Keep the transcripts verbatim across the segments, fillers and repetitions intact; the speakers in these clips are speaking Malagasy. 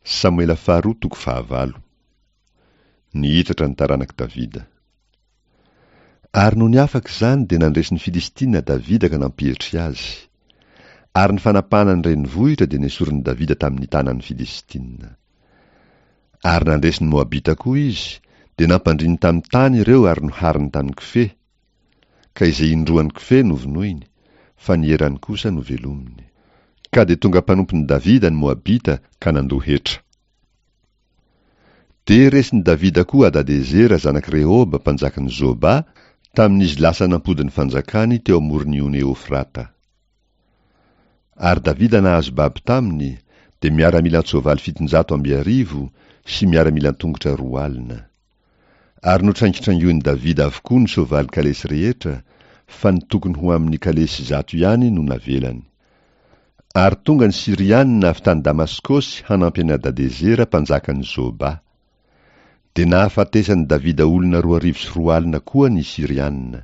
Samoela faharoa toko fahavalo. Nihitatra ny taranak'i Davida. Ary nony afaka izany dia nandresy ny Filistina Davida ka nampietry azy. Ary ny fanapahana ny renivohitra dia nesorin'i Davida tamin'ny tanan'ny Filistina. Ary nandresy ny Moabita koa izy, dia nampandriny tamin'ny tany ireo ary nohariny tamin'ny kofehy, ka izay indroan'ny kofehy novonoiny, fa ny erany kosa novelominy. Ka dia tonga mpanompon'i Davida ny Moabita ka nandoa hetra. Dia resin'i Davida koa Hadadezera zanak'i Rehoba mpanjakan'i Zoba tamin'izy lasa nampody ny fanjakany teo amoron'ny ony Eofrata. Ary Davida nahazo babo taminy, dia miaramila an-tsoavaly fitonjato amby arivo sy miaramila an-tongotra roa alina. Ary notraingitrangoin'i Davida avokoa ny soavaly kalesy rehetra, fa ny tokony ho amin'ny kalesy zato ihany no navelany. Ary tonga ny Syrianina avy tany Damaskosy hanampy an'i Hadadezera mpanjakan'i Zoba. Dia nahafatesan'i Davida olona roa arivo sy roa alina koa ny Syrianina.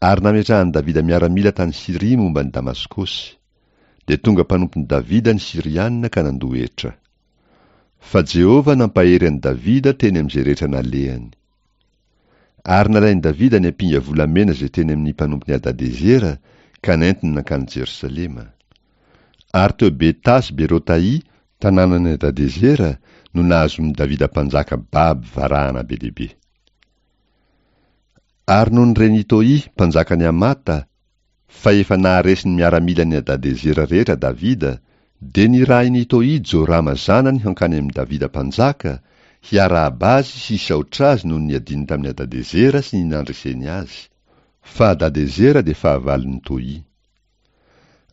Ary nametrahan'i Davida miaramila tany Syria momba ny Damaskosy. Dia tonga mpanompon'i Davida ny Syrianina ka nandoa hetra. Fa Jehovah nampahery an'i Davida teny amin'izay rehetra nalehany. Ary nalain'i Davida ny ampinga volamena izay teny amin'ny mpanompon'i Hadadezera ka nentiny nankany Jerosalema. Ary teo Beta sy Berotai, tanànan'i Hadadezera, no nahazoan'i Davida mpanjaka babo varahana be dia be. Ary nony ren'i Toy, mpanjakan'i Hamata, fa efa naharesy ny miaramilan'i Hadadezera rehetra Davida, dia nirahin'i Toy Jorama zanany hankany amin'i Davida mpanjaka, hiarahaba azy sy hisaotra azy noho ny niadiny tamin'i Hadadezera sy ny nandreseny azy, fa Hadadezera dia fahavalon'i Toy.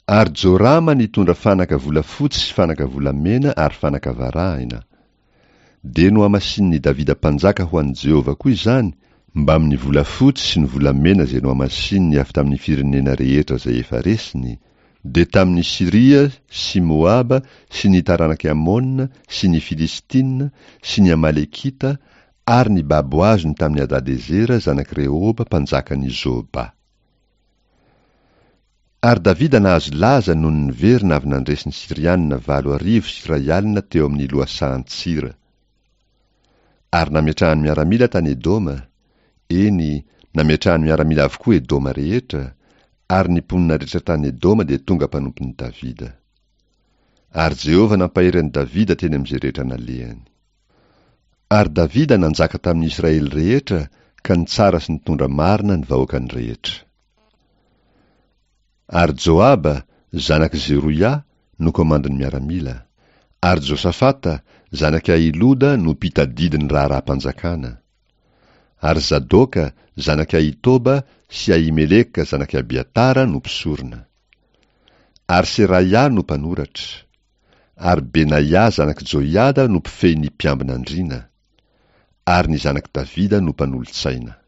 Ary Jorama nitondra fanaka volafotsy sy fanaka volamena ary fanaka varahina. Dia nohamasinin'i Davida mpanjaka ho an'i Jehovah koa izany, mbamin'ny volafotsy sy ny volamena izay nohamasininy avy tamin'ny firenena rehetra izay efa resiny, dia tamin'ny Syria sy Moaba sy ny taranak'i Amona sy ny Filistina sy ny Amalekita ary ny babo azony tamin'i Hadadezera zanak'i Rehoba mpanjakan'i Zoba. Ary Davida nahazo laza noho ny niverina avy nandresy ny Syrianina valo arivo sy iray alina teo amin'ny lohasahan-tsira. Ary nametrahany miaramila tany Edoma, eny, nametrahany miaramila avokoa Edoma rehetra, ary ny mponina rehetra tany Edoma dia tonga mpanompon'i Davida. Ary Jehovah nampahery an'i Davida teny amin'izay rehetra nalehany. Ary Davida nanjaka tamin'ny Israely rehetra ka nitsara sy nitondra marina ny vahoakany rehetra. Ary Joaba, zanak'i Zeroia, no komandin'ny miaramila. Ary Josafata, zanak'i Ahiloda, no mpitadidy ny raharaham-panjakana. Ary Zadoka, zanak'i Ahitoba, sy Ahimeleka, zanak'i Abiatara, no mpisorona. Ary Seraia no mpanoratra. Ary Benaia, zanak'i Joiada, no mpifehy ny mpiambina andriana. Ary ny zanak'i Davida no mpanolotsaina.